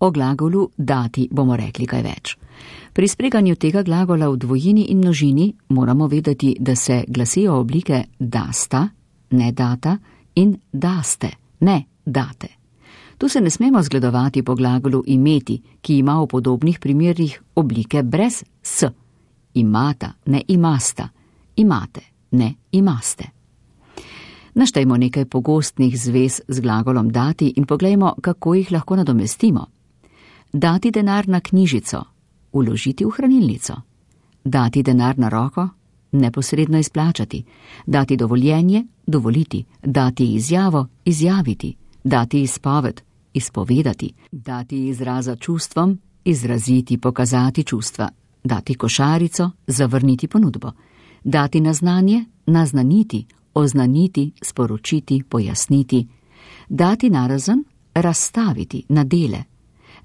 O glagolu dati bomo rekli kaj več. Pri spreganju tega glagola v dvojini in množini moramo vedeti, da se glasijo oblike dasta, ne data, in daste, ne date. Tu se ne smemo zgledovati po glagolu imeti, ki ima v podobnih primerih oblike brez s. Imata, ne imasta, imate, ne imaste. Naštejmo nekaj pogostnih zvez z glagolom dati in poglejmo, kako jih lahko nadomestimo. Dati denar na knjižico, vložiti v hranilnico. Dati denar na roko, neposredno izplačati. Dati dovoljenje, dovoliti. Dati izjavo, izjaviti. Dati izpoved, izpovedati. Dati izraza čustvom, izraziti, pokazati čustva. Dati košarico, zavrniti ponudbo. Dati naznanje, naznaniti, oznaniti, sporočiti, pojasniti. Dati narazen, razstaviti, na dele.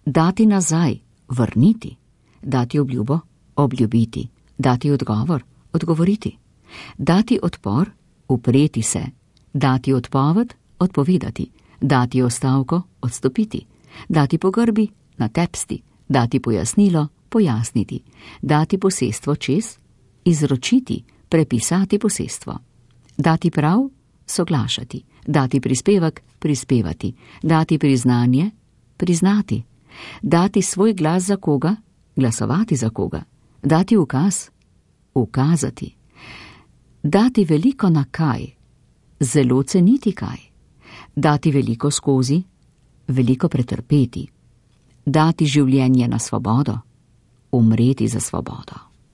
Dati nazaj, vrniti. Dati obljubo, obljubiti. Dati odgovor, odgovoriti. Dati odpor, upreti se. Dati odpoved, odpovedati. Dati ostavko, odstopiti. Dati pogrbi, natepsti. Dati pojasnilo, pojasniti. Dati posestvo čez, izročiti, prepisati posestvo. Dati prav, soglašati. Dati prispevek, prispevati. Dati priznanje, priznati. Dati svoj glas za koga, glasovati za koga. Dati ukaz, ukazati. Dati veliko na kaj, zelo ceniti kaj. Dati veliko skozi, veliko pretrpeti. Dati življenje na svobodo, umreti za svobodo.